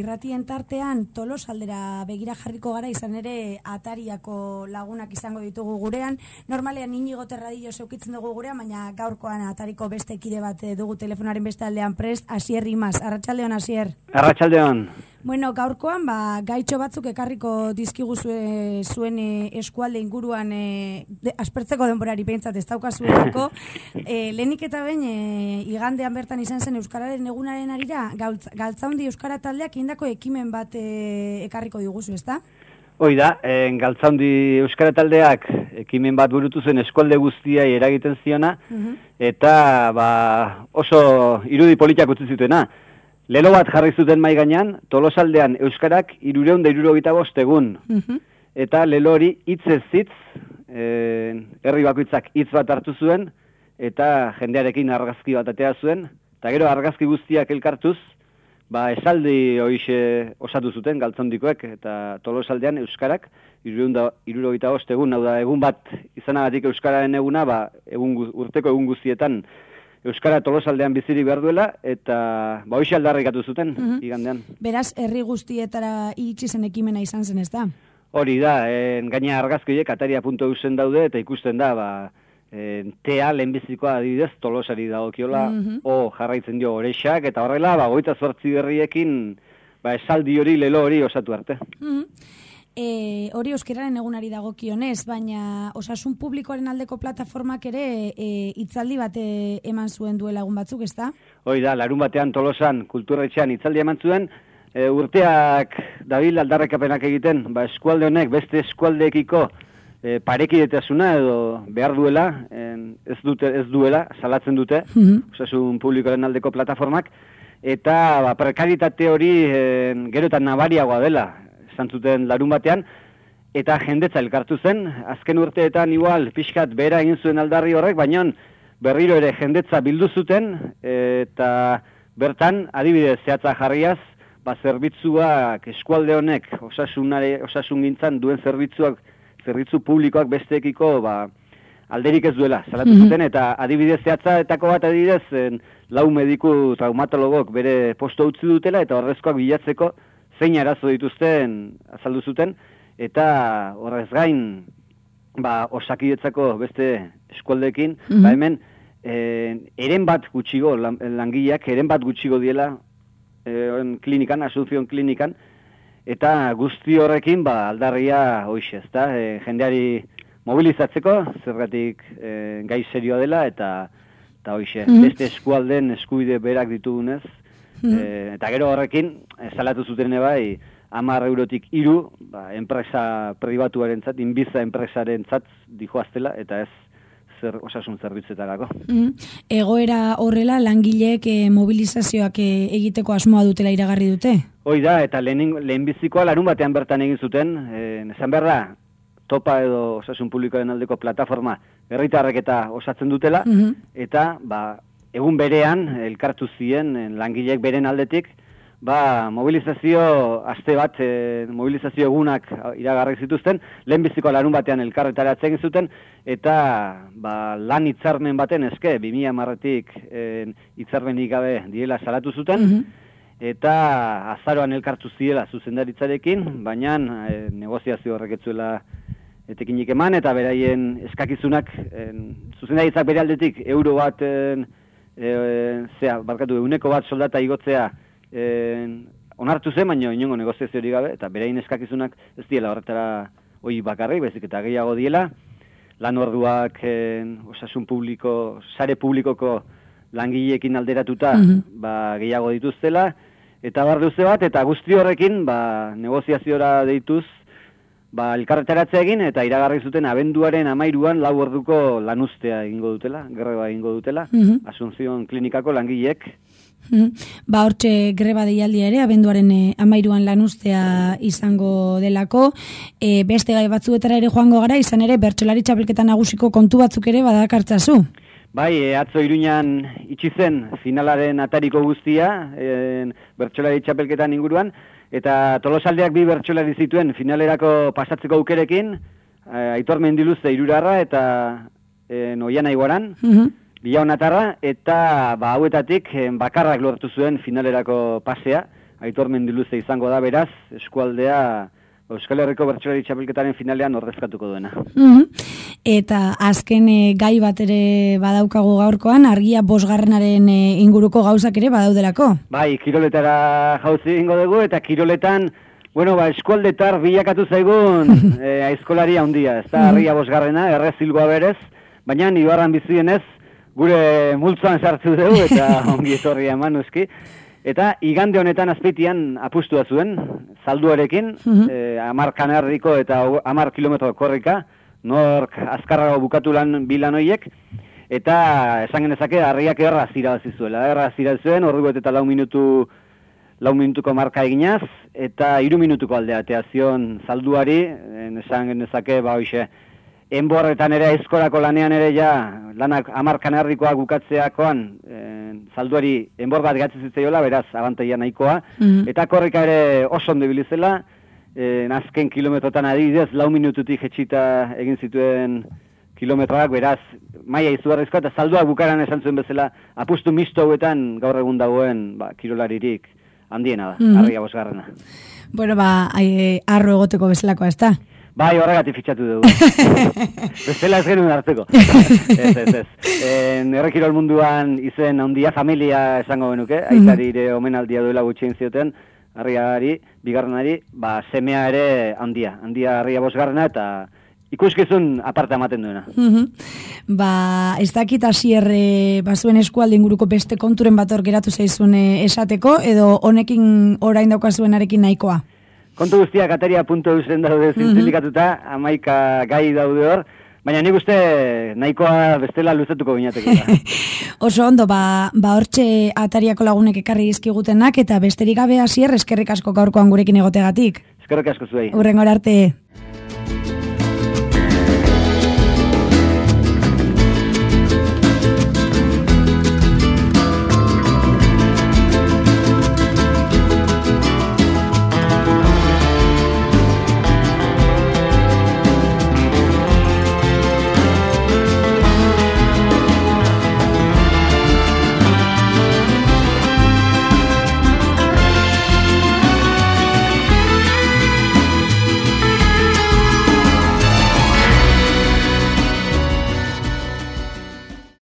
irratien tartean Tolosaldera begira jarriko gara, izan ere Atariako lagunak izango ditugu gurean. Normalean Inigo Terradillo zeukitzen dugu gurean, baina gaurkoan Atariko beste kide bat dugu telefonaren beste aldean prest, Asier Imaz. Arratsaldeon, Asier. Arratsaldeon. Bueno, gaurkoan gaitxo batzuk ekarriko dizkigu zuen eskualde inguruan aspertzeko denborari behintzat ez daukazuelako. Lehenik eta behin igandean bertan izan zen Euskararen egunaren arira, Galtzaundi Euskara taldeak indako ekimen bat ekarriko diguzu, ezta? Hoi da, Galtzaundi Euskara taldeak ekimen bat burutu zen eskualde guztiai eragiten ziona, eta oso irudi politak utzi zutena. Lelo bat jarri zuten mai gainean, Tolosaldean Euskarak 375 egun. Eta lelo hori hitzez hitz, herri bakoitzak hitz bat hartu zuen, eta jendearekin argazki bat atea zuen, eta gero argazki guztiak elkartuz, esaldi hoixe osatu zuten Galtzaundikoek, eta Tolosaldean Euskarak 375 egun, hau da, egun bat izanagatik Euskararen eguna, urteko egun guztietan Euskara Tolosaldean bizirik behar duela, eta hoxe aldarrikatu zuten, igandean. Beraz, herri guztietara iritsi zen ekimena izan zen, ez da? Hori da, gaina argazkoiek ataria.eusen daude, eta ikusten da, tea lehenbizikoa adibidez Tolosari dagokiola, jarraitzen dio Orexak, eta horrela, 28 berriekin, esaldi hori, lelo hori osatu arte. Hori euskararen egunari dagokionez, baina osasun publikoaren aldeko plataformak ere hitzaldi bat eman zuen duela egun batzuk, ezta? Hoi da, larun batean Tolosan kulturretxean hitzaldi eman zuen, urteak dabil aldarrekapenak egiten, eskualde honek beste eskualdeekiko parekidetasuna edo behar duela, ez duela, salatzen dute, osasun publikoaren aldeko plataformak, eta prekaritate hori gero eta nabariagoa dela, zuten larun batean, eta jendetza elkartu zen, azken urteetan igual pixkat behera egin zuen aldarri horrek, baina berriro ere jendetza bildu zuten, eta bertan, adibidez zehatza jarriaz, zerbitzuak eskualde honek osasun gintzan duen zerbitzu publikoak besteekiko alderik ez duela, salatu zuten, eta adibidez zehatzaetako bat adibidez, 4 mediku traumatologok bere posto utzi dutela, eta horrezkoak bilatzeko zein arazo dituzten azaldu zuten, eta horrez gain, Osakidetzako beste eskualdeekin, hemen, eren bat gutxigo, langileak, eren bat gutxigo diela klinikan, Asunción klinikan, eta guzti horrekin, aldarria hoxe, ezta, jendeari mobilizatzeko, zergatik gai serioa dela, eta hoxe, beste eskualden eskubide berak ditugunez, eta gero horrekin, salatu zuten bai, 10 eurotik 3, enpresa pribatuarentzat, Inbiza enpresarentzat dijoaztela, eta ez osasun zerbitzuetarako. Egoera horrela, langileek mobilizazioak egiteko asmoa dutela iragarri dute? Hoi da, eta lehenbizikoa larun batean bertan egin zuten, esan behar da, Topa edo osasun publikoaren aldeko plataforma herritarrek eta osatzen dutela, eta egun berean, elkartu ziren langileek beren aldetik, mobilizazio aste bat, mobilizazio egunak iragarri zituzten, lehenbiziko larun batean elkarretaratzen zuten, eta lan hitzarmen baten eske, 2010-tik hitzarmenik gabe diela salatu zuten, eta azaroan elkartu ziela zuzendaritzarekin, baina negoziazio horrek ez zuela etekinik eman, eta beraien eskakizunak, zuzendaritzak bere aldetik, euro bat, euneko bat soldata igotzea onartu zen, baina inongo negoziazio hori gabe, eta beraien eskakizunak ez diela horretara hoi bakarrik, bezik eta gehiago diela, lan orduak osasun publiko, sare publikoko langileekin alderatuta gehiago dituztela, eta barduze bat, eta guzti horrekin negoziaziora deituz, elkarretaratzea egin, eta iragarri zuten abenduaren 13an 4 orduko lanuztea egingo dutela, greba egingo dutela, Asunción klinikako langileek. Hortxe greba deialdia ere, abenduaren 13an lanuztea izango delako, beste gai batzuetara ere joango gara, izan ere bertsolari txapelketa nagusiko kontu batzuk ere badakartzazu. Bai, atzo Iruñan itxi zen finalaren atariko guztia, bertsolari txapelketan inguruan, eta Tolosaldeak 2 bertsolari zituen finalerako pasatzeko aukerekin, Aitor Mendiluze Irurarra eta Oiana Iguaran, Bilaonatarra, eta hauetatik bakarrak lortu zuen finalerako pasea, Aitor Mendiluze izango da, beraz, eskualdea Euskal Herriko Bertsolari Txapelketaren finalean ordezkatuko duena. Eta azken gai bat ere badaukagu gaurkoan, argia 5. inguruko gauzak ere badaudelako. Bai, kiroletara jauzi egingo dugu, eta kiroletan, eskualdetar bilakatu zaigun aizkolari handia, ez da, argia 5. errezilgoa berez, baina Ibarran bizienez, gure multzoan sartzu dugu, eta ongi etorria eman uski. Eta igande honetan azpeitian apustua zuen, salduarekin, 10 kanarriko eta 10 kilometro korrika, nork azkarrago bukatu bilan hoiek, eta esan genezake harriak erraz irabazi zuela. Erraz irabazi zuen, ordu eta 4 minutuko marka eginaz, eta 3 minutuko aldeatea zion salduari, esan genezake, hoxe, enborretan ere eskolako lanean ere lanak 10 kanarrikoak bukatzeakoan salduari enbor bat gatzi zitzaiola, beraz, abantaia nahikoa, eta korrika ere oso ondo ibilizela, azken kilometrotan adibidez, 4 minututik jetxita egin zituen kilometroak, beraz, maia izugarrizkoa, eta salduak bukaran esan zuen bezala, apustu misto hauetan gaur egun dagoen argolaririk handiena da, argia 5. Bueno, arro egoteko bezalakoa, ez da? Bai, horregatik fitxatu dugu. Bestela ez genuen hartzeko. Ez. Errekirol munduan izen handia, familia esango genuke, aitari ere omenaldia duela gutxien zioten, harriari, 2. Semea ere handia harria 5. eta ikuskizun aparte ematen duena. Ez dakit Asier bazuen eskualde inguruko beste konturen bat hor geratu zaizun esateko, edo honekin orain daukazuenarekin nahikoa? Kontu guztiak ataria.eusen daude zintzilikatuta, 11 gai daude hor, baina nik uste nahikoa bestela luzatuko binateko. Oso ondo, hortxe atariako lagunek ekarri dizkigutenak, eta besterik gabe Asier, eskerrik asko gaurkoan gurekin egotegatik. Eskerrik asko zuei. Hurrengora arte.